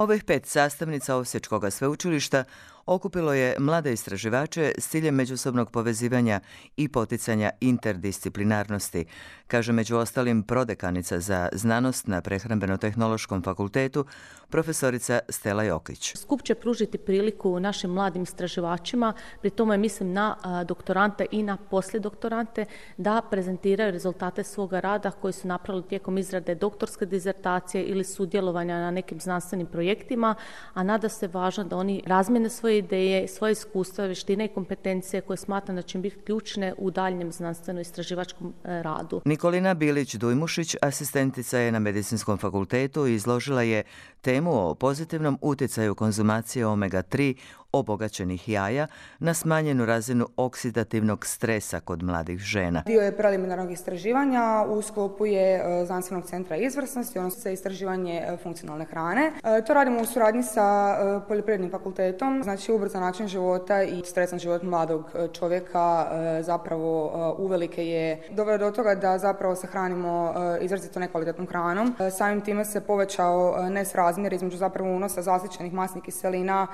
Ovih 5 sastavnica Osječkog sveučilišta okupilo je mlade istraživače s ciljem međusobnog povezivanja i poticanja interdisciplinarnosti, kaže među ostalim prodekanica za znanost na Prehrambeno-tehnološkom fakultetu, profesorica Stela Jokić. Skup će pružiti priliku našim mladim istraživačima, pri tome mislim na doktorante i na poslijedoktorante, da prezentiraju rezultate svoga rada koji su napravili tijekom izrade doktorske dizertacije ili sudjelovanja na nekim znanstvenim projektima, a nada se važno da oni razmjene svoje ideje, svoje iskustva, vještine i kompetencije koje smatram da će biti ključne u daljnjem znanstveno-istraživačkom radu. Nikolina Bilić-Dujmušić, asistentica je na Medicinskom fakultetu i izložila je temu o pozitivnom utjecaju konzumacije omega-3 obogaćenih jaja na smanjenu razinu oksidativnog stresa kod mladih žena. Dio je preliminarnog istraživanja, u sklopu je Znanstvenog centra izvrsnosti, odnosno za istraživanje funkcionalne hrane. To radimo u suradnji sa Poljoprivrednim fakultetom, znači ubrzan način života i stresan život mladog čovjeka zapravo uvelike je doveo do toga da zapravo se hranimo izrazito nekvalitetnom hranom. Samim time se povećao nesrazmjer između zapravo unosa zasićenih masnih kiselina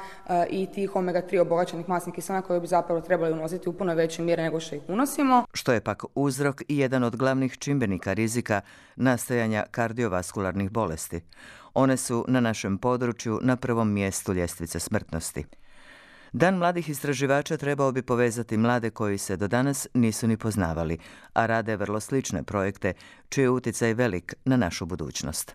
i tih omega-3 obogaćenih masnih kiselina koje bi zapravo trebali unositi u puno većoj mjeri nego što ih unosimo. Što je pak uzrok i jedan od glavnih čimbenika rizika nastajanja kardiovaskularnih bolesti. One su na našem području na prvom mjestu ljestvice smrtnosti. Dan mladih istraživača trebao bi povezati mlade koji se do danas nisu ni poznavali, a rade vrlo slične projekte čiji je utjecaj velik na našu budućnost.